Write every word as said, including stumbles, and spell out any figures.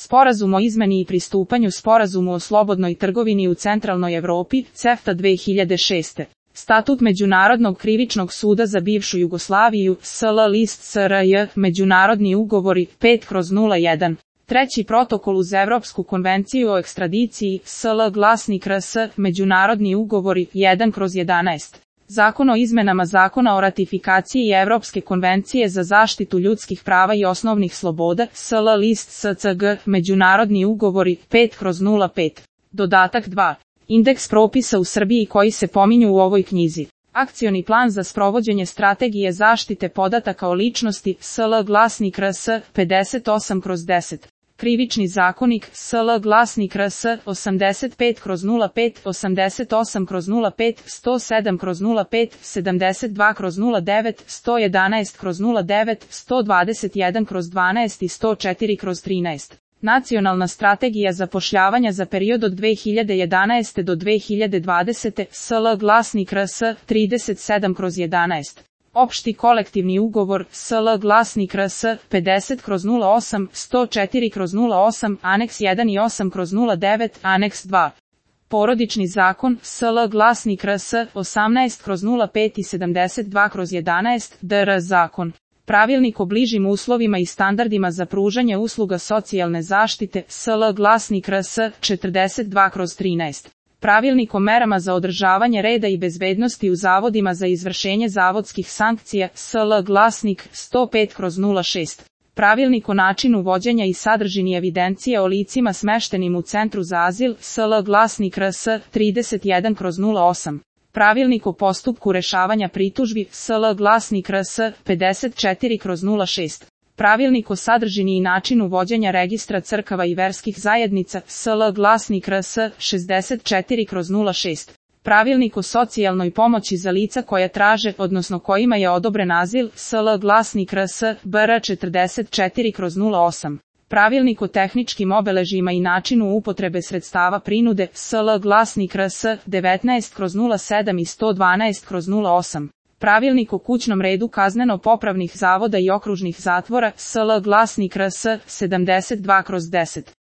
Sporazum o izmeni i pristupanju Sporazumu o slobodnoj trgovini u Centralnoj Evropi, CEFTA dve hiljade šeste. Statut Međunarodnog krivičnog suda za bivšu Jugoslaviju, S L list S R J, Međunarodni ugovori, pet kroz nula jedan. Treći protokol uz Evropsku konvenciju o ekstradiciji, S L glasnik R S, Međunarodni ugovori, jedan kroz jedanaest. Zakon o izmenama Zakona o ratifikaciji Evropske konvencije za zaštitu ljudskih prava i osnovnih sloboda, S L list S C G, Međunarodni ugovori, pet kroz nula pet. Dodatak dva. Indeks propisa u Srbiji koji se pominju u ovoj knjizi. Akcioni plan za sprovođenje strategije zaštite podataka o ličnosti, S L glasnik R S, pedeset osam kroz deset. Krivični zakonik, S L glasnik R S, osamdeset pet kroz nula pet, osamdeset osam kroz nula pet, sto sedam kroz nula pet, sedamdeset dva kroz nula devet, sto jedanaest kroz nula devet, sto dvadeset jedan kroz dvanaest i sto četiri kroz trinaest. Nacionalna strategija zapošljavanja za period od dve hiljade jedanaeste do dve hiljade dvadesete. S L glasnik R S, trideset sedam kroz jedanaest. Opšti kolektivni ugovor, S L glasnik R S, pedeset kroz nula osam, sto četiri kroz nula osam, aneks jedan i osam kroz nula devet, aneks dva. Porodični zakon, S L glasnik R S, osamnaest kroz nula pet i sedamdeset dva kroz jedanaest, D R zakon. Pravilnik o bližim uslovima i standardima za pružanje usluga socijalne zaštite, S L glasnik R S, četrdeset dva kroz trinaest. Pravilnik o merama za održavanje reda i bezbednosti u zavodima za izvršenje zavodskih sankcija, S L glasnik, sto pet kroz nula šest. Pravilnik o načinu vođenja i sadržini evidencije o licima smeštenim u Centru za azil, S L glasnik R S, trideset jedan kroz nula osam. Pravilnik o postupku rešavanja pritužbi, S L glasnik R S, pedeset četiri kroz nula šest. Pravilnik o sadržini i načinu vođenja registra crkava i verskih zajednica, S L glasnik R S, šezdeset četiri kroz nula šest. Pravilnik o socijalnoj pomoći za lica koja traže, odnosno kojima je odobren azil, S L glasnik R S, B R četrdeset četiri kroz nula osam. Pravilnik o tehničkim obeležjima i načinu upotrebe sredstava prinude, S L glasnik R S, devetnaest kroz nula sedam i sto dvanaest kroz nula osam. Pravilnik o kućnom redu kazneno-popravnih zavoda i okružnih zatvora, S L glasnik R S, sedamdeset dva kroz deset.